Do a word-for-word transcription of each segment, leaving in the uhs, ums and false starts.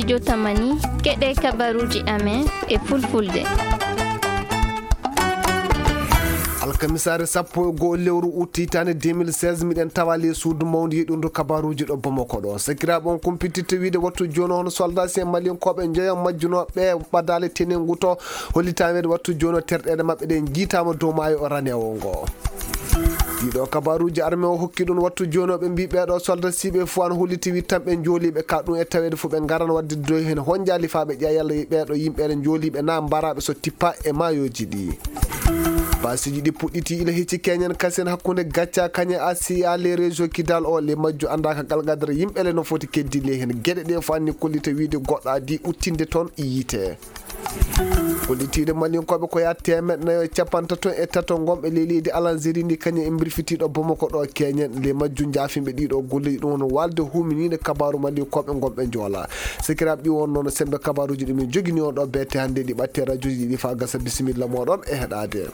Jotamani, keɗe kabaruuji amen e fulfulde. Alkamisaare sappo e go'o lewru ut hitaande deux mille seize, miɗen tawa ley suudu mawndu yeɗundu kabaruuji ɗo Bamako ɗo. Sakiraaɓe, on kumpitirte wiide wattu jooni o hono soldaasi'en malinkooɓe njoyo majjunooɓe ɓe ɓadaale tenengu to, hollitaama wiide wattu jooni o terɗeeɗe maɓɓe ɗe njiitaama dow maayo o raneewo ngo. Ɗiɗo kabaruuji arme o hokki ɗum wattu jooni o, ɓe mbii ɓeeɗo soldasiiɓe fof ana holliti wi tan ɓe njooliiɓe ka ɗum e taweede fof ɓe ngaran waɗde doy heen honjaali faa ɓe ƴeewa yalla ɓeeɗo yimɓe ene njooliiɓe na mbaraaɓe so tippa e maayooji ɗi. Paasiiji ɗi puɗɗiti ila hecci keñen kasen hakkunde gacca kañe asiya le région kidal o le majju anndaaka galgadere yimɓe le no foti keddile heen geɗe ɗe fof anni kollita wiide goɗɗo adii uttinde toon yiite. Kollitiiɗo malinkooɓe ko yaa teemeɗɗe nayo e capantato e tato ngonɓe ley leydi Alanzeri ndi kañum e mbirfitiiɗo Bamako ɗo keñen le majju njaafinɓe ɗiɗo golleeji ɗum woni walde huminiiɗo kabaaru malinkooɓe ngonɓe njoola. Sikiraaɓe ɗi won noon sembe kabaaruuji ɗi min jogini on ɗo beete hannde ɗi ɓatte rajooji ɗi faa gasa bisimilla mooɗon e heɗaade.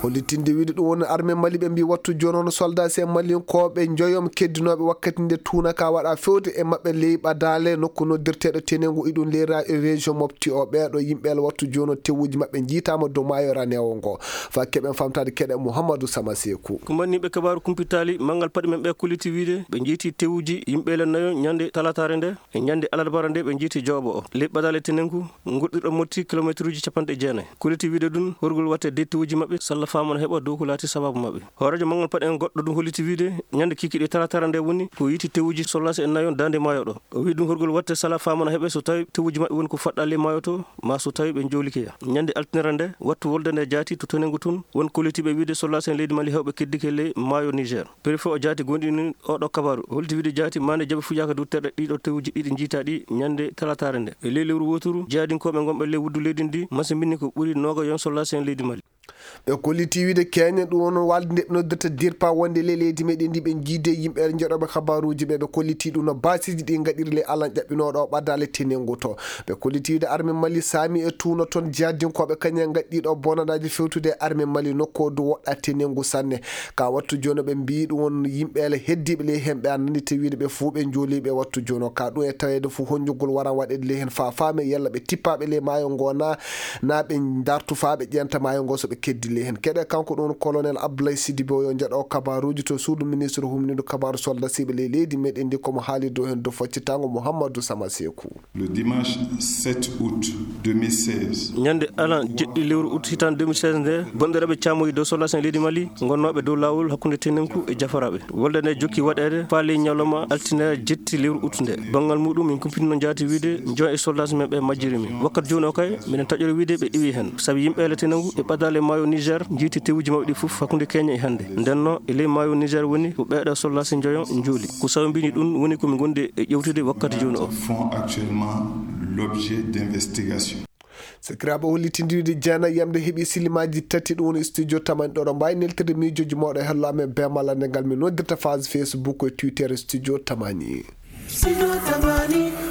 Hollitinde wiide ɗum woni arme Mali ɓe mbii wattu jooni on soldasi e malinkooɓe njoyom keddinooɓe wakkati nde tuuna ka waɗa fewde e maɓɓe ley ɓadaale nokku noddirteeɗo tenengu iɗum ley ra- région mofti o ɓeeɗo yimɓe ala wattu jooni o tewuji maɓɓe njiitaama dow maayo raneewo ngo. Fa keɓen famtaade keɗe Mouhamadou Sama Seku. Ko mbanniiɓe kabaaru kumpitaali manngal paɗi men ɓe kolliti wiide ɓe njiiti tewuji yimɓe le nayo ñande talataare nde e ñande alarbaare nde ɓe njiiti jooɓo o ley ɓadaale tenengu. Goɗɗirɗo motti kilomeetruuji capanɗe jeenayi. Kolliti wiide ɗum horgol watte dettiwuuji maɓɓe salla faamana heɓa dow ko laati sabaabu maɓɓe. Hooreejo manngal paɗe en goɗɗo ɗum holliti wiide ñande kikiɗe talatara nde woni ko yiiti tewuuji sollaasi e nayon daande maayo ɗo. O wii ɗum horgol watte sala faamana heɓe so tawi tewuuji maɓɓe woni ko faɗɗa ley maayo to, ma so tawi ɓe njoolikeya. Ñande altinere nde, wattu wolde nde jaati to tenengu tun, won kollitiiɓe wiide sollaasi en leydi Mali hewɓe keddike ley maayo Niger. Préfet o jaati gonɗini oɗo kabaru. Holti wiide jaati mande jaɓe fujaaka dow terɗe ɗiɗo tewuji ɗiɗi njiita ɗi ñande talataare nde. E ley lewru woturu, jihadinkooɓe gonɓe ley wuddu leydi ndi, masimbini ko ɓuri nooga yon sollaasi en leydi Mali. Ɓe kolliti wiide keñe ɗum won walde nde ɓe noddirta dirpa wonde ley leydi meɗen ndi ɓe jiide yimɓe joɗoɓe kabaruji ɓe, ɓe kolliti ɗum no basiji ɗi gaɗiri ley alan ƴaɓɓinoɗo o ɓadale tenengu to. Ɓe kolliti wiide arme Mali saami e tuuno toon jihadinkooɓe kañum en gaɗɗiiɗo bonanaaji fewtude e arme Mali nokku du woɗɗa tenengu sanne. Ka wattu jooni ɓe mbii ɗum won yimɓe ele heddiiɓe ley heen ɓe annani te wiide ɓe fuu ɓe njooliiɓe wattu jooni o. Ka ɗum e taweede fuu honjugol waran waɗeede ley heen faa faame yalla ɓe tippaaɓe ley maayo ngo na, na ɓe ndartu faa ɓe ƴeenta maayo ngo so ɓe keddi ley heen. Keɗe kanko ɗum won colonel Abdoulaye Sidibé o yo njaɗo kabaruuji to suudu ministre humniiɗo kabaaru soldasiiɓe ley leydi meɗen ndi komo haali dow heen dow faccitango Mouhamadou Sama Sekou. Le dimanche sept août deux mille seize. Ñande alan jeɗɗi lewru ut hitaande deux mille seize nde, bonɗeraaɓe caamoyi dow soldats en leydi Mali, ngonnooɓe dow laawol hakkunde tenenku e jafaraaɓe. Wolde nde jokki waɗeede faa ley ñalawma altine jetti lewru ut nde. Banngal muɗum, min kumpitino jaati wiide, njoon e soldats men ɓe majjiri min. Wakkati jooni o kay, miɗen taƴori wiide ɓe iwi heen. Sabi yimɓe ele tenengu e ɓadaale maayo Niger, njiiti tewuji maɓɓe ɗi fof hakkunde keñe e hannde. Ndenno, e ley maayo Niger woni ko ɓeeɗo soldats njoyo njooli. Ko sababu mbini ɗum woni ko min ngondi e ƴewtude wakkati jooni o. Font actuellement l'objet d'investigation. Sakiraaɓe, hollitindiiɗo jeenayi yamde heɓi silimaaji tati, ɗum woni studio tamani ɗo, ɗo mbaawi neltirde miijooji mooɗo e hello amen bee malla nde ngal min noddirta page Facebook e Twitter studio tamani.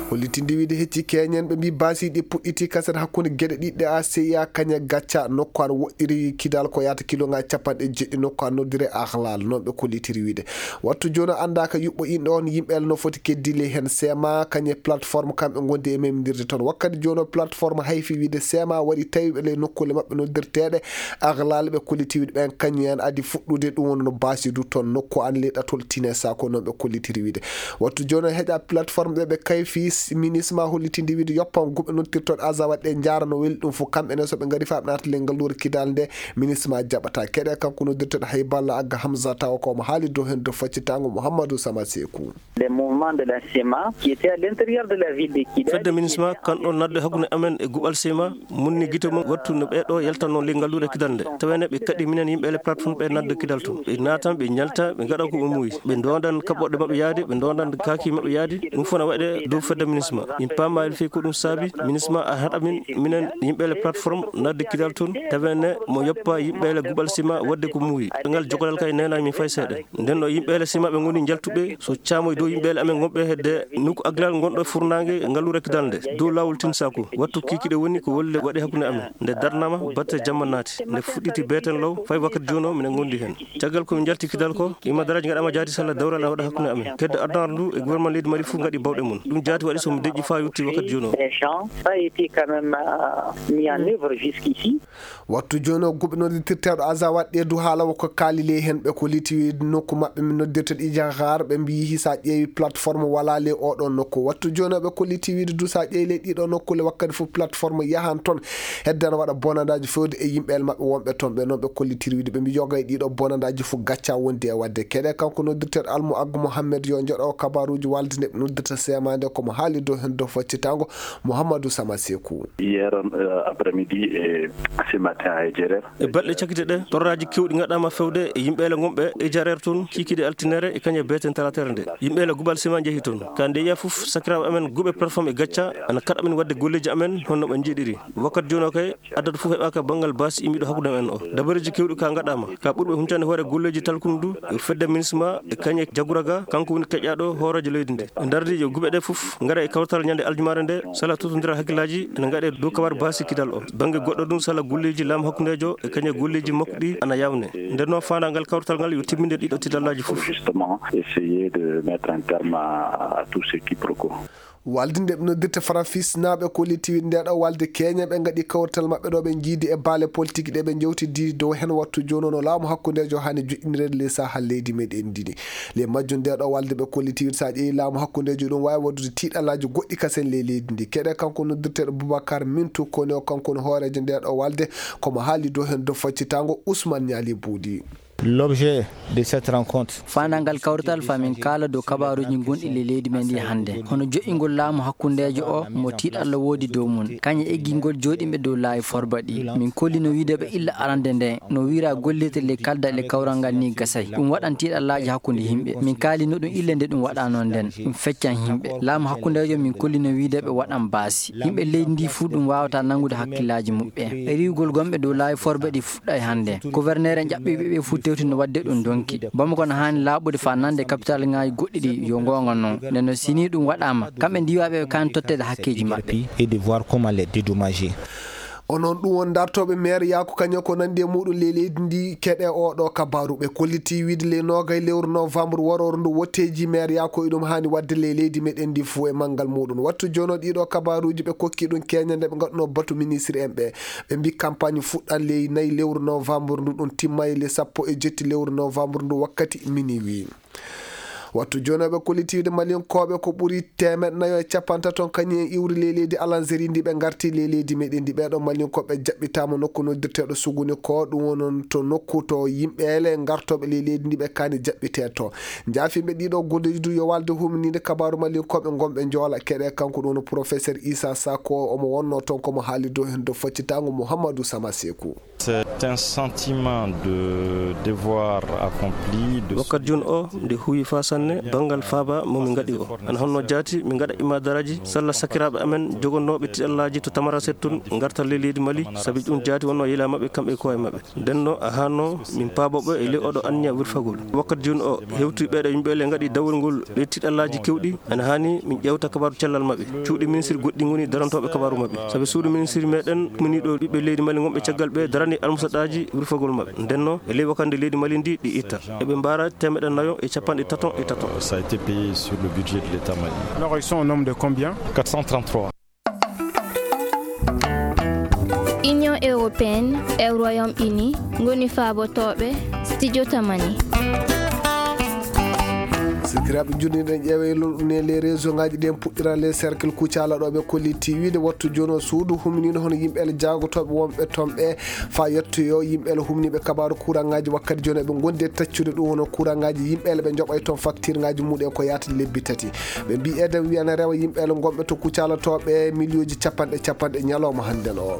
Hollitinde wiide hecci keñen ɓe mbii baasiiɗi puɗɗiti kaset hakkunde geɗe ɗiɗɗe a C I A kañe gacca nokku an woɗɗiri kidal ko yaata kiloŋaaji capanɗe jeɗɗi nokku an noddire Ahlal, noon ɓe kollitiri wiide. Wattu jooni o anndaaka yuɓɓo inɗo on yimɓe no foti keddile heen sema kañe plateforme kamɓe ngondi e memdirde toon. Wakkati jooni o plateforme hayfi wiide sema waɗi tawi ɓe ley nokkuule maɓɓe noddirteeɗe Ahlal ɓe kolliti wiide ɓen kañum en adi fuɗɗude ɗum woni no baasi du toon nokku an ley ɗatol tine sako noon ɓe kollitiri wiide. Wattu jooni o heƴa plateforme ɗe ɓe kayfi minisma hollitinde wiide yoppan guɓe noddirtoɗe aza waɗde njaara no weli ɗum fof kamɓe ne so ɓe ngari faa ɓe naata ley ngalluure kidal nde minisma jaɓata keɗe kanko noddirtoɗo hay balla agga Hamza tawa ko omo haali dow heen dow faccitango Mouhamadou Sama Sekou. Les mouvements de la sema qui étaient à l'intérieur de la ville de Kidal. Fedde minisma kan ɗon nadde hakkunde amen e guɓal sema munni gite mum wattu no ɓeeɗo yaltanno ley ngalluure kidal nde tawene ɓe kaɗi minen yimɓe ele plateforme ɓe nadde kidal toon ɓe naatan ɓe njalta ɓe ngaɗa ko ɓe muuyi ɓe ndondan kaɓɓoɗe maɓɓe yaade ɓe ndondan kaaki maɓɓe yaade ɗum fof na waɗe dow fedde Minisma, min paamaali fii ko ɗum saabi. Minisma a haɗa min, minen yimɓe le plateforme, nadde kidal toon, tawene mo yoppa yimɓe le guɓal sima waɗde ko muuyi. Ngal jokalal kay neenaani min fay seeɗa. Nden ɗo yimɓe le sima ɓe ngoni njaltuɓe, so caamoy dow yimɓe le amen ngonɓe hedde nokku aglal ngonɗo furnaange ngalluure kidal nde. Dow laawol Tinsaku, wattu kiikiiɗe woni ko wolle waɗi hakkunde amen. Nde darnaama, batte jamma naati. Nde fuɗɗiti beeten law, fay wakkati jooni o, minen ngondi heen. Caggal ko min njalti kidal ko, imadaraaji ngaɗaama jaati salla dawral a waɗa hakkunde amen. Kedde addunaare ndu e gouvernement leydi Mali fof ngaɗi bawɗe mum. Ɗum jaati waɗi so mi deƴƴi faa yotti wakkati jooni o. Des gens, ça a été quand même, euh, mis en œuvre jusqu'ici. Wattu jooni o guɓe noddirteeɗo Aza waɗɗe du haala woko kaali ley heen ɓe ko liti wiide nokku maɓɓe min noddirteeɗo Ijaxaar ɓe mbiyi sa ƴeewi plateforme wala ley oɗo nokku. Wattu jooni o ɓe ko liti wiide du sa ƴeewi ley ɗiɗo nokku le wakkati fof plateforme yahan toon hedde ana waɗa bonandaaji fewde e yimɓe el maɓɓe wonɓe toon. Ɓe noon ɓe kollitiri wiide ɓe mbi yoga e ɗiɗo bonandaaji fof gacca wondi e waɗde keɗe. Kanko noddirteeɗo Almu Aggu Mohammed yo joɗo kabaruuji walde nde ɓe noddirta semande komo haali dow heen dow faccitango Mouhamadou Sama Sekou. Hier, euh, après-midi et ce matin à Edjerer. E balɗe cakite ɗe torraaji kewɗi ngaɗaama fewde e yimɓe ele ngonɓe e Jarer toon kiikiiɗe altinere e kañe beeten talatere nde. Yimɓe ele gubal sima njehi toon. Ka nde yiya fof sakiraaɓe amen guɓe plateforme e gacca ana kaɗa amen waɗde golleeji amen honno ɓe njiɗiri. Wakkati jooni o kay addata fof heɓaaka banngal baasi immiɗo hakkunde men o. Dabareeji kewɗi ka ngaɗaama. Ka ɓurɓe huncande hoore golleeji talkundu e fedde minisma e kañe jaguraga kanko woni keƴƴaaɗo hooreejo leydi ndi. Ndardi yo guɓe ɗe fof ngara e kawtal ñande aljumaare nde sala totondira hakkillaaji ene ngaɗe dow kabar baasi kidal o. Bannge goɗɗo ɗum sala golleeji laamu hakkundeejo e kañe golleeji makko ɗi ana yawne. Nden noon faandaangal kawtal ngal yo timminde ɗiɗo tidallaaji fof. Justement, essayer de mettre un terme à, à tout ce quiproquo. Walde nde ɓe noddirta Farafisnaaɓe ko litiwi nde ɗo walde keña ɓe ngaɗi kawrital maɓɓe ɗo ɓe njiidi e baale politique ɗe ɓe njewtidi dow heen wattu jooni no laamu hakkundeejo hani joƴƴinireede ley saha leydi meɗen ndini. Ley majjum nde ɗo walde ɓe ko litiwi sa ƴeewi laamu hakkundeejo ɗum waawi waɗude tiiɗalaaji goɗɗi kasen ley leydi ndi. Keɗe kanko noddirteeɗo Boubacar Mintu koni o kanko no hooreejo nde ɗo walde komo haali dow heen dow faccitango Ousmane Niali Boudi. L'objet de cette rencontre. Faandaangal kawrital fa min kaala dow kabaaruuji gonɗi ley leydi men ndi hannde. Hono joƴƴingol laamu hakkundeejo o mo tiiɗalla woodi dow mum. Kañe eggingol jooɗimɓe dow laawi forba ɗi. Min kolli no wiide ɓe illa arande nde. No wiira gollirte ley kalda le kawral ngal ni gasay. Ɗum waɗan tiiɗallaaji hakkunde yimɓe. Min kaali no ɗum ille nde ɗum waɗano nden. Ɗum feccan yimɓe. Laamu hakkundeejo min kolli no wiide ɓe waɗan baasi. Yimɓe leydi ndi fuu ɗum waawata nanngude hakkillaaji muɓɓen. E riiwgol gonɓe dow laawi forba ɗi fuɗɗay hannde. Gouverneur en ƴaɓɓiiɓe ɓe fuu tewti no waɗde ɗum donki. Bamako no haani laaɓude faa nande capital ŋaaji goɗɗi ɗi yo goonga noon. Nden no sini ɗum waɗaama, kamɓe ndiwaaɓe ɓe kaani totteede hakkeeji maɓɓe. Et de voir comment les dédommager. Onon ɗum won dartooɓe maire yaako kañum ko nandi e muɗum ley leydi ndi keɗe oɗo kabaru ɓe kolliti wiide ley noogay lewru novembre warooru ndu wotteeji maire yaako e ɗum haani waɗde ley leydi meɗen ndi fuu e manngal muɗum. Wattu jono ɗiɗo kabaruuji ɓe kokki ɗum keña nde ɓe ngaɗuno batu ministre en ɓe. Ɓe mbi campagne fuɗɗan ley nayi lewru novembre ndu ɗum timmay le sappo e jetti lewru novembre ndu wakkati minuit. Wattu jooni ɓe kollitiiɓe Maliyankooɓe ko ɓuri teemeɗɗe nayo e capantato kañum en iwri ley leydi Alanzeri ndi ɓe ngarti ley leydi meɗen ndi. Ɓeeɗo Maliyankooɓe jaɓɓitaama nokku noddirteeɗo Suguni ko ɗum wonon to nokku to yimɓe ele ngartooɓe ley leydi ndi ɓe kaani jaɓɓitee to. Njaafiiɓe ɗiɗo golleeji du yo walde humniinde kabaaru Maliyankooɓe ngonɓe njoola keɗe kanko ɗum wono professeur Issa Sako omo wonno toon komo haali dow heen dow faccitaango Mouhamadou Sama Sekou. C'est un sentiment de devoir accompli, de wakkati jooni o nde huwi faa sanne banngal faaba mo min ngaɗi o. Ana honno jaati min ngaɗa imadaraaji salla sakiraaɓe amen jogonnooɓe tiɗallaaji to Tamaraset toon ngarta ley leydi Mali, sabi ɗum jaati wonno yila maɓɓe kamɓe e koye maɓɓe. Ndenno a hanno min paabo ɓe e ley oɗo anniya wirfagol. Wakkati jooni o hewti ɓeeɗo yimɓe le ngaɗi dawol ngol ley tiɗallaaji kewɗi. Ana haani min ƴeewta kabaaru cellal maɓɓe. Cuuɗi ministre goɗɗi ngoni darantooɓe kabaaru maɓɓe. Sabi suudu ministre meɗen muni ɗo ɓiɓɓe leydi Mali ngonɓe caggal ɓe darani almusaɗaaji wirfagol maɓɓe. Ndenno e ley wakande leydi Mali ndi ɗi itta. Eɓe mbaara teemeɗɗe nayo e capanɗe taton e taton. Ça a été payé sur le budget de l'État malien. Alors, ils sont au nombre de combien ? Quatre cent trente-trois. Union européenne e Royaume-Uni ngoni faabotooɓe studio Tamani. Sikiraaɓe, jurniɗen ƴeewe lolɗune les réseau ngaji ɗen puɗɗira les cercle kucala ɗo ɓe kolliti wiide wattu jono suudu humnino hono yimɓe ele jagotooɓe wonɓe toon ɓe fa yettoyo yimɓe ele humniɓe kabaru courant ngaji wakkati jono ɓe gondi e taccude ɗum hono courant ngaji yimɓe ele ɓe joɓay toon facture ngaji muɗen ko yaata lebbi tati. Ɓe mbi eden wiyana rewa yimɓe ele gonɓe to kucalotooɓe miliyonji capanɗe capanɗe ñalawma hannden o.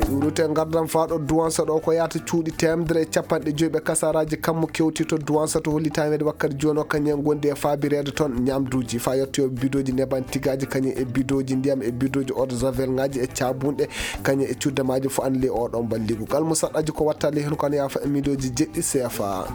Urute ngardan faa ɗo duwansa ɗo ko yahata cuuɗi teemedere e capanɗe joyi ɓe kasaraaji kammu kewti to duwansa to holli taweede wakkati jooni o kañum en ngondi e faabireede toon ñamduuji faa yettoyoo bidooji neban tigaaji kañum e bidooji ndiyam e bidooji eau de javel ŋaaji e caabunɗe kañum e cudde maaji fof an ley oɗon balligu kala mo saɗɗaji ko watta ley heen kono yaafa e midooji jeɗɗi seefa.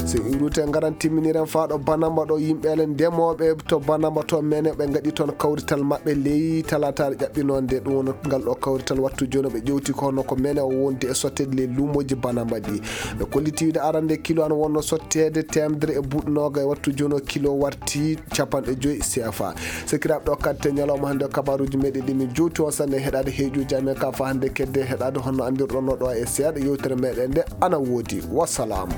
So iwrute ngaran timminiren faa ɗo banamba ɗo yimɓeele ndemooɓe to banamba to mene ɓe ngaɗi toon kawrital maɓɓe ley talataare ƴaɓɓinoonde ɗum woni ngal ɗo kawrital wattu jooni ɓe ƴewti ko hono ko mene o wondi e sotteede ley luumooji banamba ɗi. Ɓe kolliti wiide arande kilo an wonno sotteede teemedere e buuɗi nooga e wattu jooni o kilo warti capanɗe joyi seefa. Sakiraaɓe ɗo kadi te ñalawma hannde o kabaruuji meɗen ɗi min jowti on sanne heɗaade heeƴuuji amen ka faa hannde kedde heɗaade honno anndirɗon no ɗo e seeɗa yewtere meɗen nde ana woodi. Wassalaamu.